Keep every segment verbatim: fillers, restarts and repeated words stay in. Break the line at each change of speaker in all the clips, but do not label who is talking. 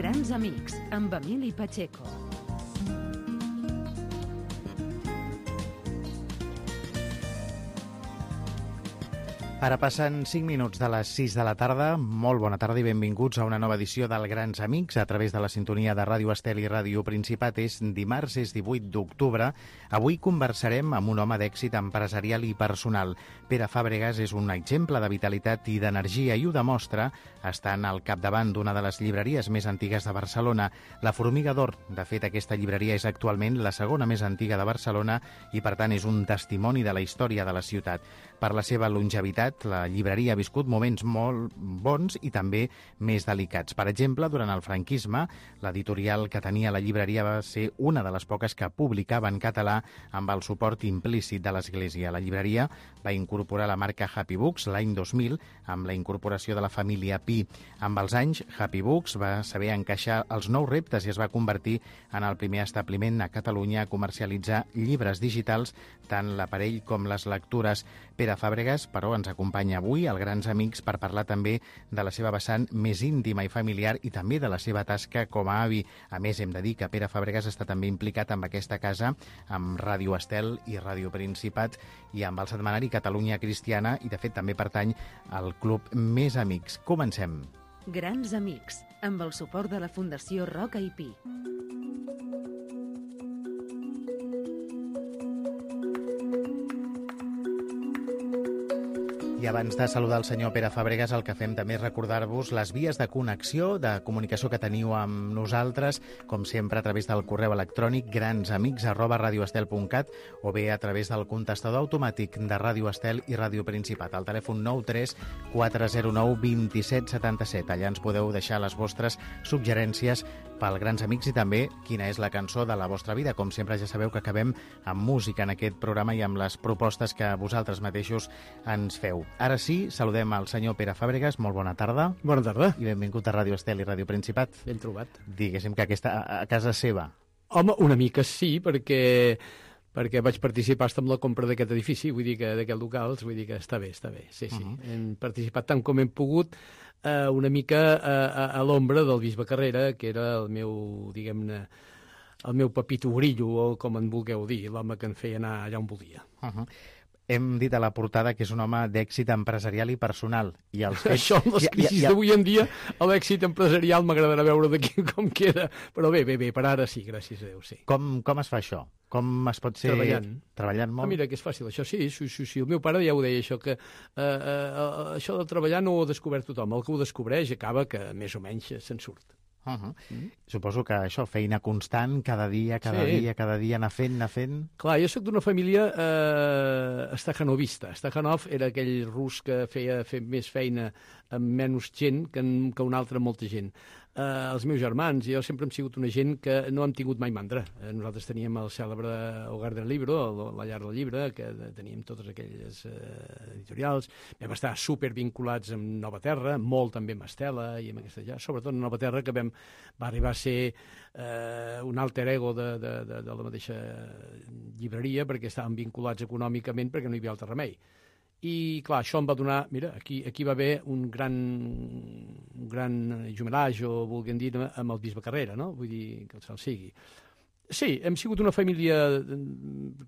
Grans amics, amb Emili Pacheco.
Ara passen cinc minuts de les sis de la tarda. Molt bona tarda i benvinguts a una nova edició del Grans Amics a través de la sintonia de Ràdio Estel i Ràdio Principat. És dimarts, és divuit d'octubre. Avui conversarem amb un home d'èxit empresarial i personal. Pere Fàbregas és un exemple de vitalitat i d'energia i ho demostra estant al capdavant d'una de les llibreries més antigues de Barcelona, la Formiga d'Or. De fet, aquesta llibreria és actualment la segona més antiga de Barcelona i, per tant, és un testimoni de la història de la ciutat. Per la seva longevitat, la llibreria ha viscut moments molt bons i també més delicats. Per exemple, durant el franquisme, l'editorial que tenia la llibreria va ser una de les poques que publicava en català amb el suport implícit de l'Església. La llibreria va incorporar la marca Happy Books l'any dos mil amb la incorporació de la família Pi. Amb els anys, Happy Books va saber encaixar els nous reptes i es va convertir en el primer establiment a Catalunya a comercialitzar llibres digitals, tant l'aparell com les lectures. Pere Fàbregas, però, ens acompanya avui al Grans Amics per parlar també de la seva vessant més íntima i familiar i també de la seva tasca com a avi. A més, hem de dir que Pere Fàbregas està també implicat amb aquesta casa, amb Ràdio Estel i Ràdio Principat i amb el setmanari Catalunya Cristiana i, de fet, també pertany al club Més Amics. Comencem.
Grans Amics, amb el suport de la Fundació Roca i Pi.
I abans de saludar el senyor Pere Fàbregas, el que fem també és recordar-vos les vies de connexió, de comunicació que teniu amb nosaltres, com sempre a través del correu electrònic gransamics arroba radioestel punt cat o bé a través del contestador automàtic de Ràdio Estel i Ràdio Principat, al telèfon nou tres quatre zero nou dos set set set. Allà ens podeu deixar les vostres suggerències pel Grans Amics i també quina és la cançó de la vostra vida. Com sempre, ja sabeu que acabem amb música en aquest programa i amb les propostes que vosaltres mateixos ens feu. Ara sí, saludem al senyor Pere Fàbregas. Molt bona tarda.
Bona tarda.
I benvingut a Ràdio Estel i Ràdio Principat.
Ben trobat.
Diguéssim que aquesta a casa seva.
Home, una mica sí, perquè perquè vaig participar en la compra d'aquest edifici, vull dir que d'aquests locals, vull dir que està bé, està bé, sí, sí. Uh -huh. Hem participat tant com hem pogut, eh, una mica a, a, a l'ombra del bisbe Carrera, que era el meu, diguem-ne, el meu papito grillo, o com en vulgueu dir, l'home que em feia anar allà on volia.
Uh -huh. Hem dit a la portada que és un home d'èxit empresarial i personal. I els fets...
Això, amb les crisis d'avui en dia, l'èxit empresarial m'agradarà veure d'aquí com queda. Però bé, bé, bé, per ara sí, gràcies a Déu, sí.
Com, com es fa això? Com es pot ser...
Treballant.
Treballant molt?
Ah, mira, que és fàcil, això sí, sí, sí, sí. El meu pare ja ho deia, això, que eh, eh, això de treballar no ho ha descobert tothom. El que ho descobreix acaba que més o menys se'n surt.
Uh -huh. mm. Suposo que això, feina constant, cada dia, cada sí. dia, cada dia, anar fent, anar fent...
Clar, jo sóc d'una família eh, stajanovista. Stajanov era aquell rus que feia fer més feina amb menys gent que, en, que un altre amb molta gent. Eh, els meus germans, jo sempre hem sigut una gent que no hem tingut mai mandra. Eh, nosaltres teníem el cèlebre Hogar del Libro, la llar del llibre, que teníem totes aquelles eh, editorials. Vam estar super vinculats amb Nova Terra, molt també amb Estela i amb aquesta ja, sobretot amb Nova Terra, que vam, va arribar a ser eh, un alter ego de, de, de, de la mateixa llibreria, perquè estàvem vinculats econòmicament perquè no hi havia altre remei. I, clar, això em va donar... Mira, aquí, aquí va haver un gran, un gran jumelatge, o vulguem dir, amb el bisbe Carrera, no? Vull dir, que el cel sigui. Sí, hem sigut una família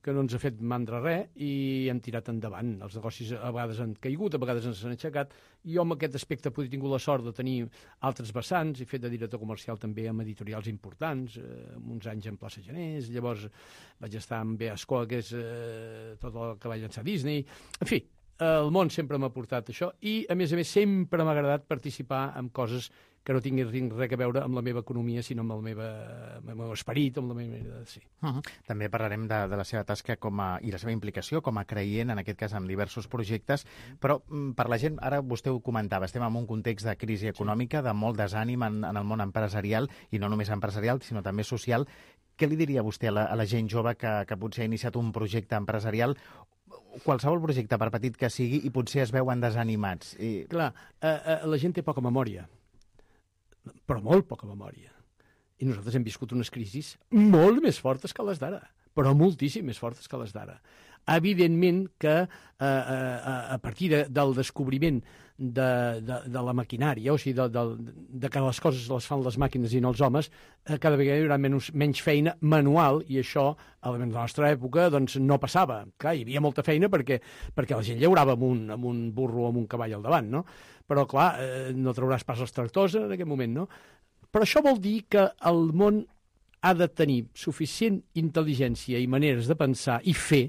que no ens ha fet mandra res i hem tirat endavant. Els negocis a vegades han caigut, a vegades ens han aixecat. I jo, amb aquest aspecte, he tingut la sort de tenir altres vessants. He fet de director comercial també amb editorials importants, eh, uns anys en Plaça Genés. Llavors vaig estar amb Beascoa, que és eh, tot el que va llançar Disney. En fi, el món sempre m'ha portat això i, a més a més, sempre m'ha agradat participar en coses que no tinguin res a veure amb la meva economia, sinó amb el, meva, amb el meu esperit, amb la meva manera de ser.
Uh -huh. També parlarem de, de la seva tasca com a, i la seva implicació com a creient, en aquest cas, en diversos projectes, però per la gent, ara vostè ho comentava, estem en un context de crisi econòmica, de molt desànim en, en el món empresarial, i no només empresarial, sinó també social. Què li diria vostè a la, a la gent jove que, que potser ha iniciat un projecte empresarial, qualsevol projecte, per petit que sigui, i potser es veuen desanimats? I...
Clar, eh, eh, la gent té poca memòria, però molt poca memòria. I nosaltres hem viscut unes crisis molt més fortes que les d'ara, però moltíssim més fortes que les d'ara. Evidentment que eh, a, a partir de, del descobriment de, de, de la maquinària, o sigui, de, de, de que les coses les fan les màquines i no els homes, eh, cada vegada hi haurà menys, menys feina manual, i això, a la nostra època, doncs, no passava. Clar, hi havia molta feina perquè, perquè la gent llaurava amb un, amb un burro o amb un cavall al davant, no? Però, clar, eh, no trauràs pas els tractors en aquest moment, no? Però això vol dir que el món ha de tenir suficient intel·ligència i maneres de pensar i fer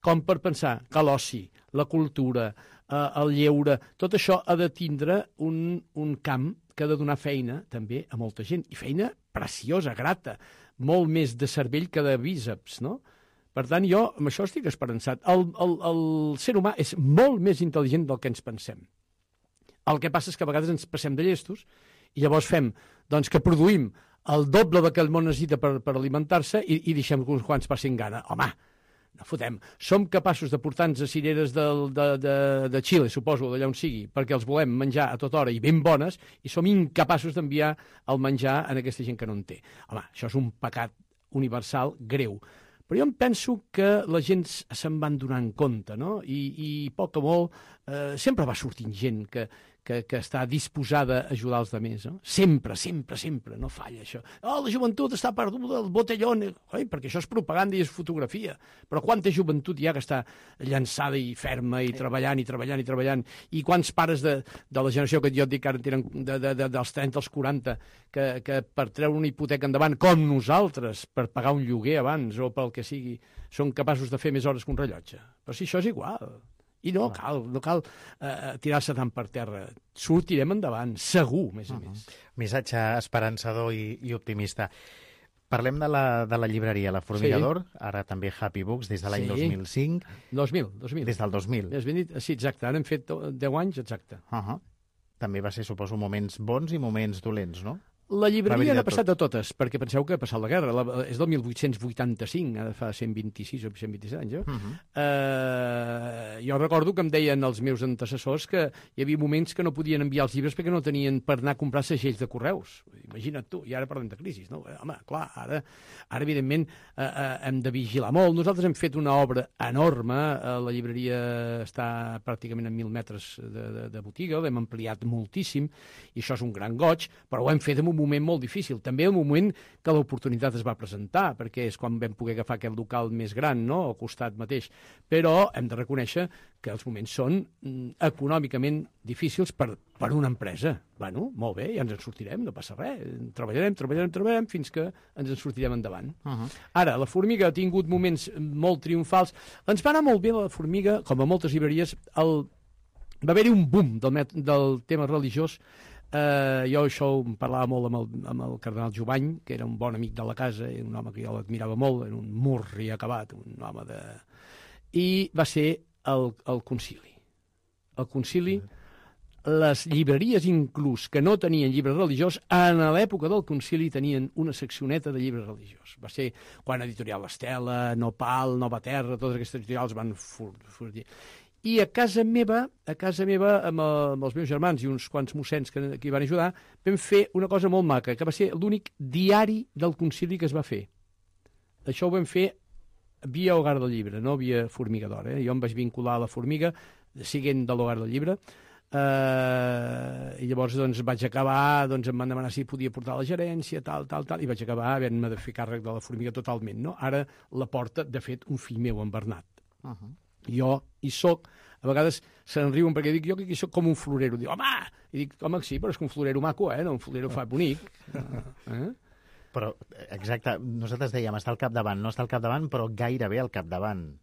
com per pensar que l'oci, la cultura, eh, el lleure, tot això ha de tindre un, un camp que ha de donar feina també a molta gent, i feina preciosa, grata, molt més de cervell que de bíceps, no? Per tant, jo amb això estic esperançat. El, el, el ser humà és molt més intel·ligent del que ens pensem. El que passa és que a vegades ens passem de llestos i llavors fem doncs, que produïm el doble del que el món necessita per, per alimentar-se i, i deixem que uns quants passin gana. Home, no fotem. Som capaços de portar-nos a cireres del, de, de, de Xile, suposo, d'allà on sigui, perquè els volem menjar a tota hora i ben bones, i som incapaços d'enviar el menjar a aquesta gent que no en té. Home, això és un pecat universal greu. Però jo em penso que la gent se'n van donant compte, no? I, i poc o molt eh, sempre va sortint gent que, que, que està disposada a ajudar els altres, no? Sempre, sempre, sempre, no falla això. Oh, la joventut està perduda, el botellón... Oi, perquè això és propaganda i és fotografia. Però quanta joventut hi ha que està llançada i ferma i treballant i treballant i treballant? I quants pares de, de la generació que jo et dic que ara tenen de, de, de, dels trenta als quaranta que, que per treure una hipoteca endavant, com nosaltres, per pagar un lloguer abans o pel que sigui, són capaços de fer més hores que un rellotge. Però si això és igual... I no cal, no cal eh, tirar-se tant per terra. Sortirem endavant, segur, més a uh -huh. més.
Missatge esperançador i, i optimista. Parlem de la, de la llibreria La Formigador, sí. Ara també Happy Books, des de l'any sí. dos mil cinc.
dos mil, dos mil.
Des del dos mil.
Has dit, sí, exacte, ara hem fet deu anys, exacte.
Uh -huh. També va ser, suposo, moments bons i moments dolents, no?
La llibreria n'ha passat de totes, perquè penseu que ha passat la guerra. La, és del mil vuit-cents vuitanta-cinc, ara fa cent vint-i-sis o cent vint-i-set anys. Eh? Uh -huh. uh, jo recordo que em deien els meus antecessors que hi havia moments que no podien enviar els llibres perquè no tenien per anar a comprar segells de correus. Imagina't tu, i ara parlem de crisis, no? Home, clar, ara, ara evidentment, uh, uh, hem de vigilar molt. Nosaltres hem fet una obra enorme, uh, la llibreria està pràcticament a mil metres de, de, de botiga, l'hem ampliat moltíssim, i això és un gran goig, però ho hem fet en un moment molt difícil, també el moment que l'oportunitat es va presentar, perquè és quan vam poder agafar aquest local més gran, no?, al costat mateix. Però hem de reconèixer que els moments són mm, econòmicament difícils per, per una empresa. Bueno, molt bé, ja ens en sortirem, no passa res. Treballarem, treballarem, treballarem fins que ens en sortirem endavant. Uh -huh. Ara, la Formiga ha tingut moments molt triomfals. Ens va anar molt bé la Formiga, com a moltes llibreries, el... va haver-hi un boom del, met... del tema religiós. Uh, jo això em parlava molt amb el, amb el cardenal Jovany, que era un bon amic de la casa, un home que jo l'admirava molt, era un murri acabat, un home de... I va ser el, el concili. El concili, les llibreries inclús que no tenien llibres religiós, en l'època del concili tenien una seccioneta de llibres religiós. Va ser quan Editorial Estela, Nopal, Nova Terra, totes aquestes editorials van fugir. I a casa meva, a casa meva, amb, el, amb els meus germans i uns quants mossens que, que hi van ajudar, vam fer una cosa molt maca, que va ser l'únic diari del concili que es va fer. Això ho vam fer via Hogar del Llibre, no via Formigador. Eh? Jo em vaig vincular a la Formiga, siguent de l'Hogar del Llibre, eh, i llavors doncs, vaig acabar, doncs, em van demanar si podia portar la gerència, tal, tal, tal, i vaig acabar havent-me de fer càrrec de la Formiga totalment. No? Ara la porta, de fet, un fill meu, en Bernat. Uh -huh. Jo hi soc, a vegades se'n riuen perquè dic jo que aquí soc com un florero. Dic, home! I dic, home, sí, però és que un florero maco, eh? No, un florero fa bonic. Eh?
Però, exacte, nosaltres dèiem, està al capdavant, no està al capdavant, però gairebé al capdavant.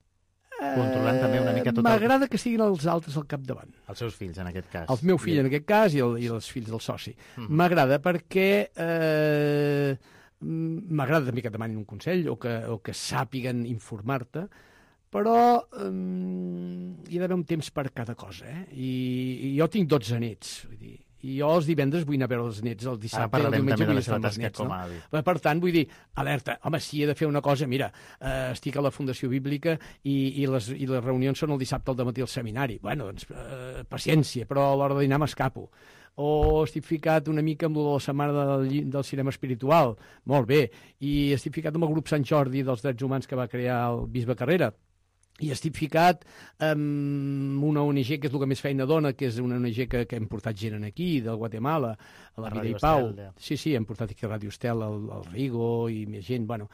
Controlant eh, també una mica tot...
M'agrada el... que siguin els altres al capdavant.
Els seus fills, en aquest cas.
El meu fill, en aquest cas, i, el, i els fills del soci. M'agrada mm. perquè... Eh, m'agrada també que demanin un consell o que, o que sàpiguen informar-te, però um, hi ha d'haver un temps per cada cosa, eh? I, i jo tinc dotze nets, vull dir, i jo els divendres vull anar a veure els nets, el dissabte, el diumenge vull estar amb els nets, no? Per tant, vull dir, alerta, home, si he de fer una cosa, mira, eh, estic a la Fundació Bíblica i, i, les, i les reunions són el dissabte al dematí al seminari. Bueno, doncs, eh, paciència, però a l'hora de dinar m'escapo. O estic ficat una mica amb la setmana del, del cinema espiritual, molt bé, i estic ficat amb el grup Sant Jordi dels Drets Humans que va crear el bisbe Carrera. i estic ficat amb una O N G que és el que més feina dona, que és una O N G que, que hem portat gent aquí, del Guatemala, a la
A
Vida
Ràdio
i Pau.
Estel, ja.
Sí, sí, hem portat aquí a Ràdio Estel, el, el Rigo i més gent. Bueno,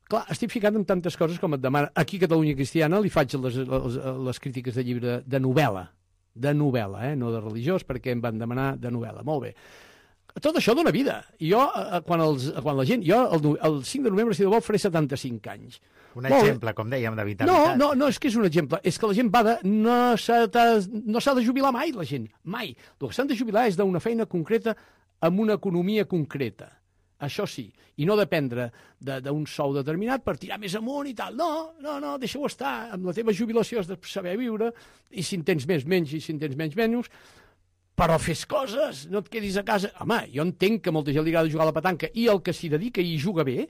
clar, estic ficat en tantes coses com et demana. Aquí a Catalunya Cristiana li faig les, les, les crítiques de llibre de novel·la, de novel·la, eh? No de religiós, perquè em van demanar de novel·la. Molt bé. Tot això dona vida. I jo, eh, quan, els, quan la gent... Jo, el, el cinc de novembre, si de vol, faré setanta-cinc anys.
Un
Molt bé.
exemple, com dèiem, de
No,
vitalitat.
no, no, és que és un exemple. És que la gent va de... No s'ha de, no s'ha de jubilar mai, la gent. Mai. El que s'han de jubilar és d'una feina concreta amb una economia concreta. Això sí. I no dependre d'un sou determinat per tirar més amunt i tal. No, no, no, deixa-ho estar. Amb la teva jubilació has de saber viure, i si en tens més, menys, i si en tens menys, menys. Però fes coses, no et quedis a casa. Home, jo entenc que molta gent li agrada jugar a la petanca i el que s'hi dedica i juga bé,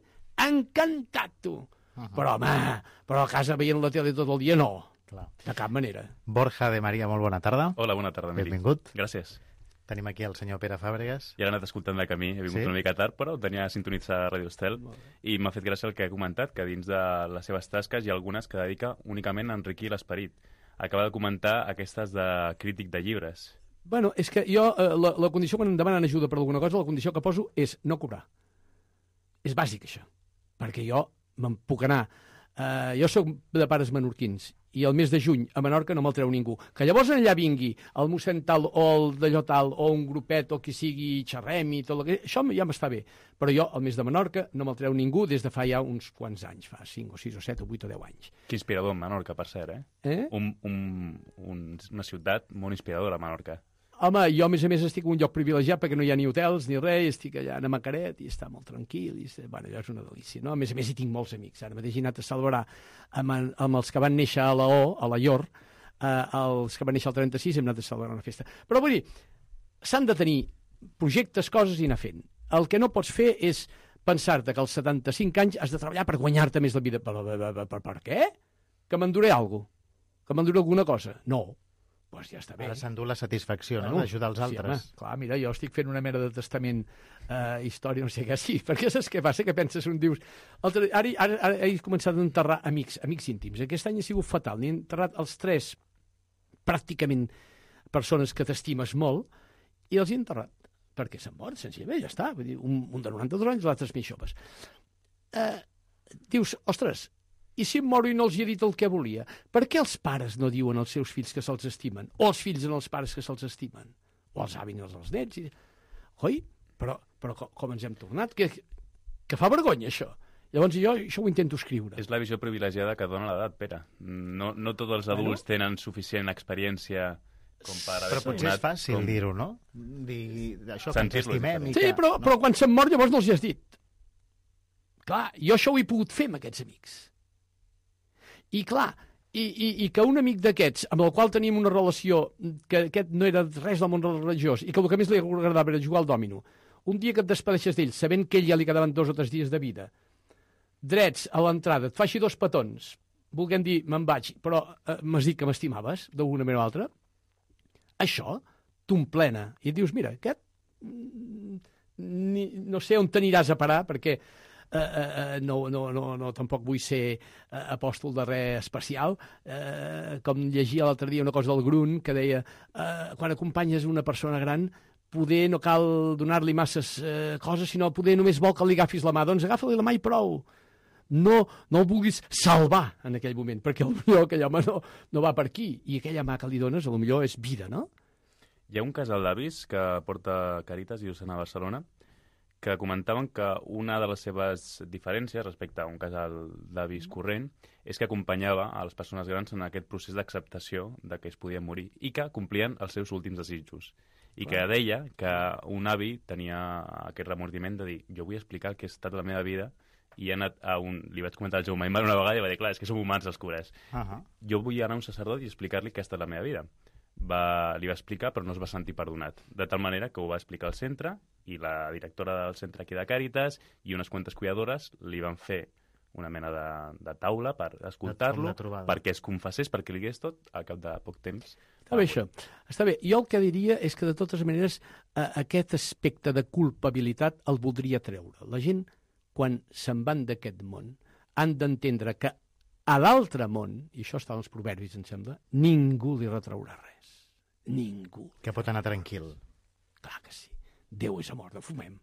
encantat, tu. Uh -huh. Però, home, però a casa veient la tele tot el dia, no.
Clar.
De cap manera.
Borja de Maria, molt bona tarda.
Hola, bona tarda, Miri.
Benvingut.
Gràcies.
Tenim aquí el senyor Pere Fàbregas.
Ja l'he anat escoltant de camí, he vingut
Sí?
una mica tard, però tenia sintonitzar a Ràdio Estel i m'ha fet gràcia el que ha comentat, que dins de les seves tasques hi ha algunes que dedica únicament a enriquir l'esperit. Acaba de comentar aquestes de crític de llibres.
Bueno, és que jo, eh, la, la condició quan em demanen ajuda per alguna cosa, la condició que poso és no cobrar. És bàsic, això. Perquè jo me'n puc anar. Eh, jo sóc de pares menorquins i el mes de juny a Menorca no me'l treu ningú. Que llavors allà vingui el mossèn tal o el d'allò tal o un grupet o qui sigui xerrem i tot el que... Això ja m'està bé. Però jo, el mes de Menorca, no me'l treu ningú des de fa ja uns quants anys, fa cinc o sis o set o vuit o deu anys.
Que inspirador, Menorca, per cert, eh?
Eh?
Un, un, un, una ciutat molt inspiradora, Menorca.
Home, jo a més a més estic en un lloc privilegiat perquè no hi ha ni hotels ni res, estic allà a Macaret i està molt tranquil, i està... bueno, allò és una delícia, no? A més a més hi tinc molts amics, ara mateix he anat a celebrar amb, amb els que van néixer a la O, a la I O R, eh, els que van néixer al trenta-sis, hem anat a celebrar una festa. Però vull dir, s'han de tenir projectes, coses i anar fent. El que no pots fer és pensar-te que als setanta-cinc anys has de treballar per guanyar-te més la vida. Per, per, per, per, per què? Que m'enduré alguna cosa? Que m'enduré alguna cosa? No. Doncs pues ja està bé.
Ara s'endú la satisfacció,
Bueno,
no?, d'ajudar els
sí,
altres.
home, clar, mira, jo estic fent una mena de testament, eh, història, no sé què, sí, perquè saps què passa? Que penses, un dius... Altre, ara, ara, ara he començat a enterrar amics, amics íntims. Aquest any ha sigut fatal. N'he enterrat els tres, pràcticament, persones que t'estimes molt, i els he enterrat. Perquè s'han mort, senzillament, ja està. Vull dir, un, un de noranta-dos anys, l'altre més joves. Eh, dius, ostres, i si em moro i no els hi he dit el que volia? Per què els pares no diuen als seus fills que se'ls estimen? O els fills en els pares que se'ls estimen? O els avis als nets? I... Oi? Però, però com, com ens hem tornat? Que, que fa vergonya, això. Llavors jo això ho intento escriure.
És la visió privilegiada que dona l'edat, Pere. No, no tots els adults bueno. tenen suficient experiència com per haver
Però potser és fàcil
com...
dir-ho, no? Dir això, que ens
Sentir-lo
estimem i
Sí,
que...
però,
no?
però quan se'm mor llavors no els hi has dit. Clar, jo això ho he pogut fer amb aquests amics. I clar, i, i, i que un amic d'aquests, amb el qual tenim una relació, que aquest no era res del món religiós, i que el que més li agradava era jugar al dòmino, un dia que et despedeixes d'ell, sabent que ell ja li quedaven dos o tres dies de vida, drets a l'entrada, et fa així dos petons, volguem dir, me'n vaig, però eh, m'has dit que m'estimaves, d'alguna manera o altra, això t'omplena. I et dius, mira, aquest, ni, no sé on t'aniràs a parar, perquè Uh, uh, no, no, no, no, tampoc vull ser uh, apòstol de res especial, uh, com llegia l'altre dia una cosa del Grun que deia, uh, quan acompanyes una persona gran poder no cal donar-li masses uh, coses, sinó poder només vol que li agafis la mà, doncs agafa-li la mà i prou. No, no el vulguis salvar en aquell moment, perquè potser aquell home no, no va per aquí, i aquella mà que li dones potser és vida, no?
Hi ha un casal d'avis que porta Càritas i Diocesana a Barcelona que comentaven que una de les seves diferències respecte a un casal d'avis corrent és que acompanyava a les persones grans en aquest procés d'acceptació de que es podien morir i que complien els seus últims desitjos. I que deia que un avi tenia aquest remordiment de dir jo vull explicar el que ha estat la meva vida i he anat a un... Li vaig comentar al Jaume Aymar una vegada i va dir, clar, és que som humans els cures. Uh -huh. Jo vull anar a un sacerdot i explicar-li què ha estat la meva vida. Va, li va explicar, però no es va sentir perdonat. De tal manera que ho va explicar al centre i la directora del centre aquí de Càritas i unes quantes cuidadores li van fer una mena de, de taula per escoltar-lo, perquè es confessés, perquè li digués tot, al cap de poc temps.
Està bé, això. Està bé. Jo el que diria és que, de totes maneres, eh, aquest aspecte de culpabilitat el voldria treure. La gent, quan se'n van d'aquest món, han d'entendre que a l'altre món, i això està en els proverbis, em sembla, ningú li retraurà res. Ningú.
Que pot anar tranquil.
Clar que sí. Déu és amor, no fumem.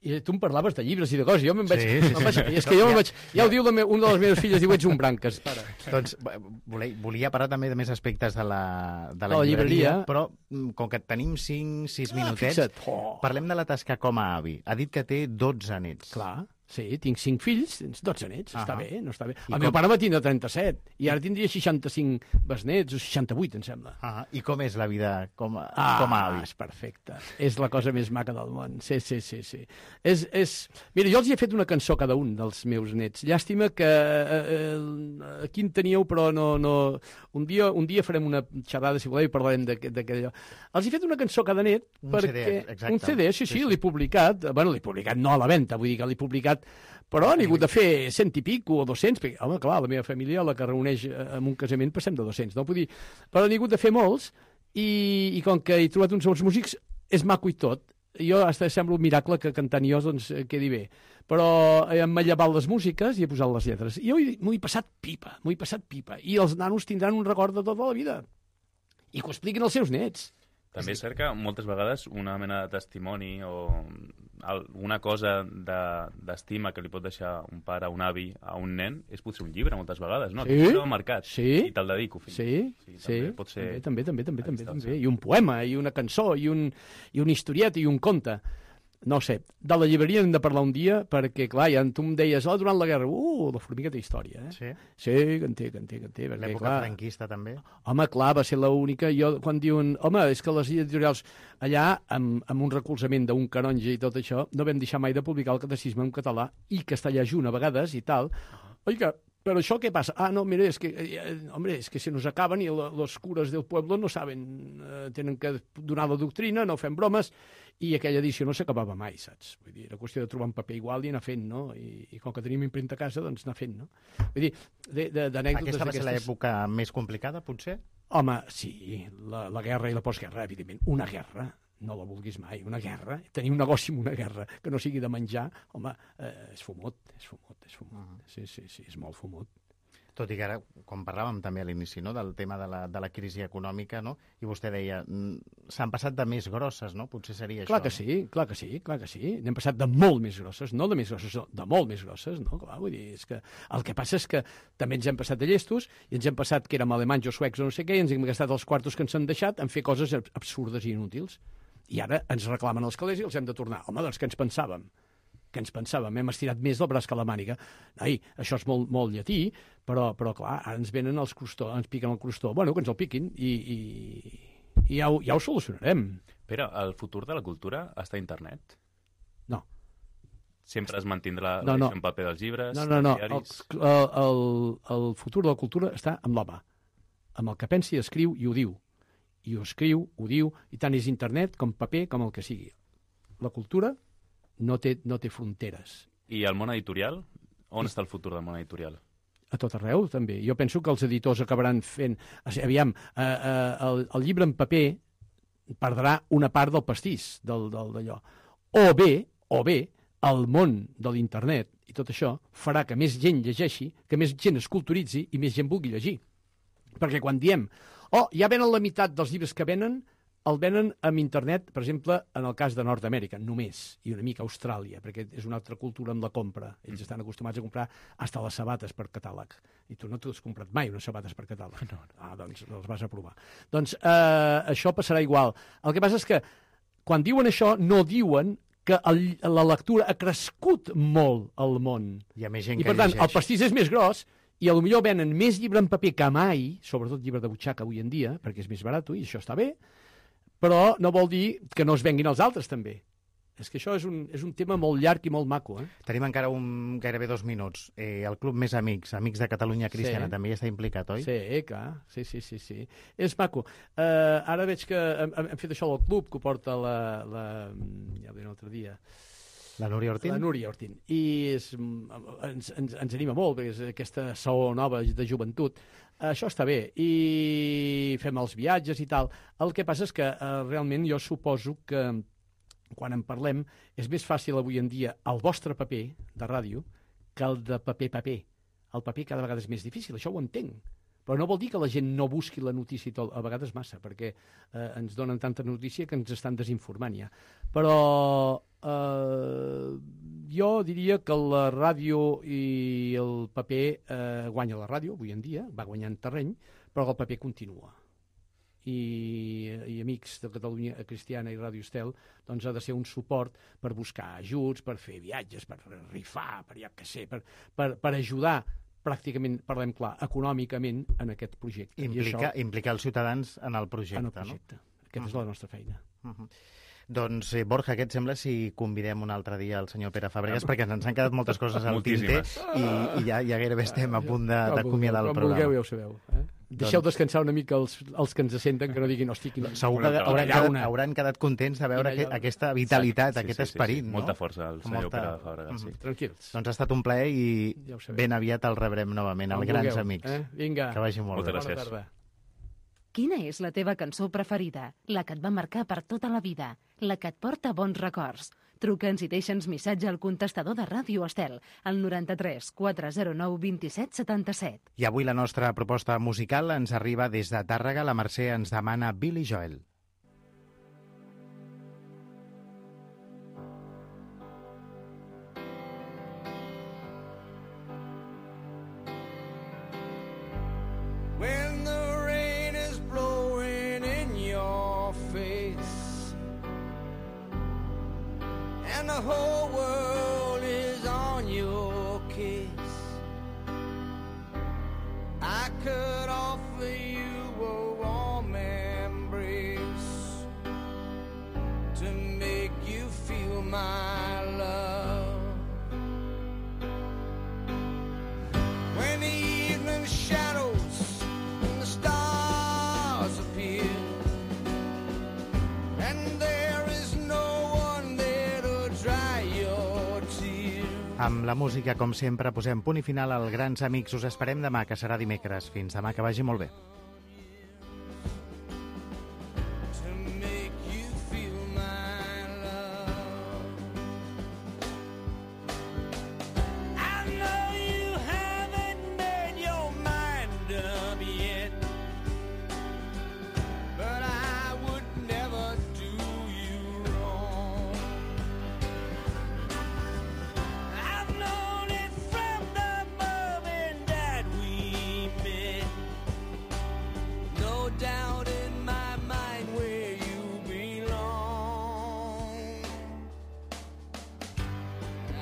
I tu em parlaves de llibres i de coses, jo me'n vaig...
Sí, sí,
me'n vaig
sí.
és que jo me'n vaig... Ja ho diu la me, una de les meves filles, diu, ets un branques, pare.
Doncs volia, volia parlar també de més aspectes de la, de la,
la
llibreria,
llibreria,
però com que tenim cinc sis
Ah,
minutets,
fixa't. Oh.
parlem de la tasca com a avi. Ha dit que té dotze nets.
Clar, sí, tinc cinc fills, tens dotze nets,
Ah,
està bé, no està bé.
I
El
com-
meu pare va tindre trenta-set, i ara tindria seixanta-cinc besnets, o seixanta-vuit, em sembla.
Ah, I com és la vida com a,
Ah,
com a avi?
és perfecte. És la cosa més maca del món. Sí, sí, sí, sí. És, és... Mira, jo els hi he fet una cançó a cada un dels meus nets. Llàstima que eh, eh, aquí en teníeu, però no... no... Un, dia, un dia farem una xerrada, si voleu, i parlarem d'aquella... Els he fet una cançó a cada net
Un
perquè...
C D, exacte.
Un C D, sí, sí,
Sí, sí.
l'he publicat. Bueno, l'he publicat no a la venda, vull dir que l'he publicat, però n'he hagut de fer cent i pico o dos-cents, perquè, home, clar, la meva família, la que reuneix eh, en un casament, passem de dos-cents, no? Vull dir, però n'he hagut de fer molts, i, i com que he trobat uns bons músics, és maco i tot. Jo hasta sembla un miracle que cantant jo doncs, eh, quedi bé. Però eh, m'ha llevat les músiques i he posat les lletres. I jo hi- m'ho he passat pipa, m'ho he passat pipa. I els nanos tindran un record de tota la vida. I que ho expliquin als seus nets.
També és cert que moltes vegades una mena de testimoni o alguna cosa de- d'estima que li pot deixar un pare, un avi, a un nen, és potser un llibre, moltes vegades, no?
Sí?
Aquest llibre m'ha marcat.
Sí?
I te'l dedico, fill.
Sí,
Sí,
sí,
també pot ser
també, també, també,
a
també,
distància.
també. I un poema, i una cançó, i un, i un historiet, i un conte. No ho sé, de la llibreria hem de parlar un dia, perquè, clar, ja tu em deies, oh, durant la guerra, uh, la formiga té història, eh?
Sí?
Sí, que en té, que en té, que en té. Perquè,
L'època
clar,
franquista, també?
home, clar, va ser l'única... Jo, quan diuen, home, és que les editorials allà, amb, amb un recolzament d'un canonge i tot això, no vam deixar mai de publicar el catecisme en català i castellà junt a vegades i tal. Oiga, però això què passa? Ah, no, mira, és que, eh, hombre, és que se nos acaben i la, los curas del pueblo no saben, eh, tenen que donar la doctrina, no fem bromes, i aquella edició no s'acabava mai, saps? Vull dir, era qüestió de trobar un paper igual i anar fent, no? I, i com que tenim impremta a casa, doncs anar fent, no? Vull dir, de- de- d'anècdotes
Aquesta va ser
d'aquestes...
l'època més complicada, potser?
Home, sí, la, la guerra i la postguerra, evidentment. Una guerra, no la vulguis mai, una guerra. Tenir un negoci amb una guerra que no sigui de menjar, home, eh, és fumut, és fumut, és fumut.
Uh-huh.
Sí, sí, sí, és molt fumut.
Tot i que ara, com parlàvem també a l'inici, no?, del tema de la, de la crisi econòmica, no?, i vostè deia, mm, s'han passat de més grosses, no? Potser seria
Clar
això.
que sí, clar que sí, clar que sí. N'hem passat de molt més grosses, no de més grosses, no, de molt més grosses, no? Clar, vull dir, és que el que passa és que també ens hem passat de llestos i ens hem passat que érem alemanys o suecs o no sé què, i ens hem gastat els quartos que ens han deixat en fer coses ab- absurdes i inútils. I ara ens reclamen els calés i els hem de tornar. Home, doncs que ens pensàvem? Que ens pensàvem? Hem estirat més del braç que la màniga. Ai, això és molt, molt llatí, però, però clar, ara ens venen els crostó, ens piquen el crostó. Bueno, que ens el piquin i, i, i ja, ho, ja ho solucionarem.
Però el futur de la cultura està a internet?
No.
Sempre es mantindrà
No,
la
no.
edició en paper dels llibres,
No, no, no.
dels
El,
diaris...
el, el, el futur de la cultura està amb l'home. Amb el que pensa i escriu i ho diu. I ho escriu, ho diu, i tant és internet com paper, com el que sigui. La cultura no té, no té fronteres.
I el món editorial? On està el futur del món editorial?
A tot arreu, també. Jo penso que els editors acabaran fent... o sigui, Aviam, eh, eh, el, el llibre en paper perdrà una part del pastís del, del, d'allò. O bé, o bé, el món de l'internet i tot això farà que més gent llegeixi, que més gent es culturitzi i més gent vulgui llegir. Perquè quan diem, oh, ja venen la meitat dels llibres que venen, el venen amb internet, per exemple, en el cas de Nord-Amèrica, només, i una mica Austràlia, perquè és una altra cultura amb la compra. Ells estan acostumats a comprar hasta les sabates per catàleg. I tu no t'has comprat mai unes sabates per catàleg. No, no. Ah, doncs les vas a provar. Doncs eh, això passarà igual. El que passa és que quan diuen això, no diuen que el, la lectura ha crescut molt al món.
Hi ha més gent
I
que
per tant,
llegeix.
el pastís és més gros i a lo millor venen més llibre en paper que mai, sobretot llibre de butxaca avui en dia, perquè és més barat i això està bé, però no vol dir que no es venguin els altres també. És que això és un, és un tema molt llarg i molt maco. Eh?
Tenim encara un, gairebé dos minuts. Eh, el Club Més Amics, Amics de Catalunya Cristiana,
Sí.
també hi està implicat, oi?
Sí, clar, sí, sí, sí, sí. És maco. Uh, ara veig que hem, hem fet això del club, que ho porta la... la ja ho deia un altre dia.
La Núria Ortín?
La Núria Ortín. I és, ens, ens, ens anima molt, perquè és aquesta saó nova de joventut. Això està bé. I fem els viatges i tal. El que passa és que eh, realment jo suposo que quan en parlem és més fàcil avui en dia el vostre paper de ràdio que el de paper-paper. el paper cada vegada és més difícil, això ho entenc. Però no vol dir que la gent no busqui la notícia i tot, a vegades massa, perquè eh, ens donen tanta notícia que ens estan desinformant ja. Però eh, jo diria que la ràdio i el paper eh, guanya la ràdio, avui en dia, va guanyant terreny, però el paper continua. I, i Amics de Catalunya Cristiana i Ràdio Estel doncs ha de ser un suport per buscar ajuts, per fer viatges, per rifar, per ja que sé, per, per, per ajudar pràcticament, parlem clar, econòmicament en aquest projecte.
Implica,
I això,
implicar els ciutadans en el projecte,
en el projecte. No? Aquesta uh-huh. és la nostra feina.
Uh-huh. Doncs, eh, Borja, què et sembla si convidem un altre dia el senyor Pere Fàbregas, ah, perquè ens han quedat moltes coses al tinter i, i ja, ja gairebé estem a punt d'acomiadar el programa.
Quan vulgueu, ja ho sabeu. Eh? Deixeu doncs... descansar una mica els, els que ens senten, que no diguin, hosti, quina...
Segur que hauran quedat, hauran quedat contents de veure aquest, aquesta vitalitat, sí, aquest sí, sí, esperit. Sí, sí.
No? Molta força al senyor Molta... Pere Fàbregas. Sí.
Mm-hmm. Tranquils.
Doncs ha estat un plaer i ja ben aviat el rebrem novament, el Grans vulgueu, Amics.
Eh? Vinga.
Que vagi molt
Moltes
bé.
gràcies.
Quina és la teva cançó preferida? La que et va marcar per tota la vida? La que et porta bons records? Truca'ns i deixa'ns missatge al contestador de Ràdio Estel, al noranta-tres quatre zero nou vint-i-set setanta-set.
I avui la nostra proposta musical ens arriba des de Tàrrega. La Mercè ens demana Billy Joel.
When the rain is blowing in your face and the whole world is on your case, I could offer you a warm embrace to make you feel my love. When the evening shadows and the stars appear and there is no one there to dry your tears.
Amb la música, com sempre, posem punt i final al Grans Amics. Us esperem demà, que serà dimecres. Fins demà, que vagi molt bé.
To make you feel my love. I know you haven't made your mind up yet, but I would never do you wrong. I've known it from the moment that we met. No doubt in my mind where you belong.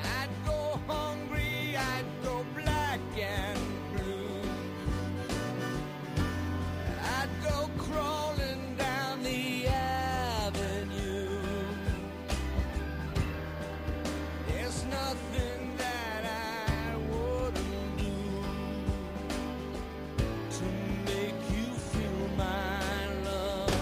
I'd go hungry, I'd go black and blue. I'd go crawling down the avenue. There's nothing that I wouldn't do to make you feel my love.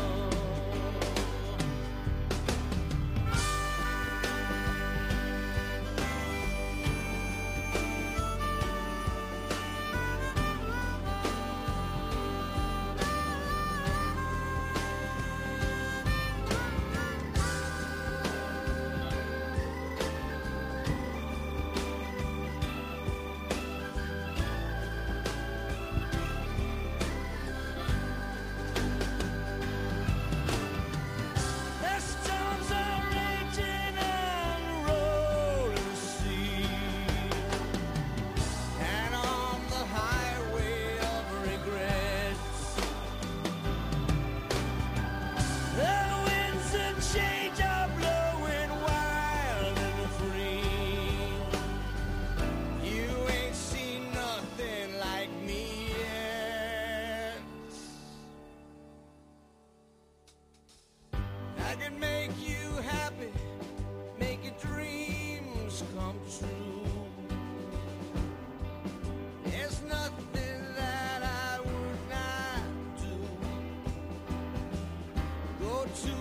The storms are raging and rolling sea, and on the highway of regrets, the winds of change are blowing wild and free. You ain't seen nothing like me yet. I can make you happy, make your dreams come true. There's nothing that I would not do. Go to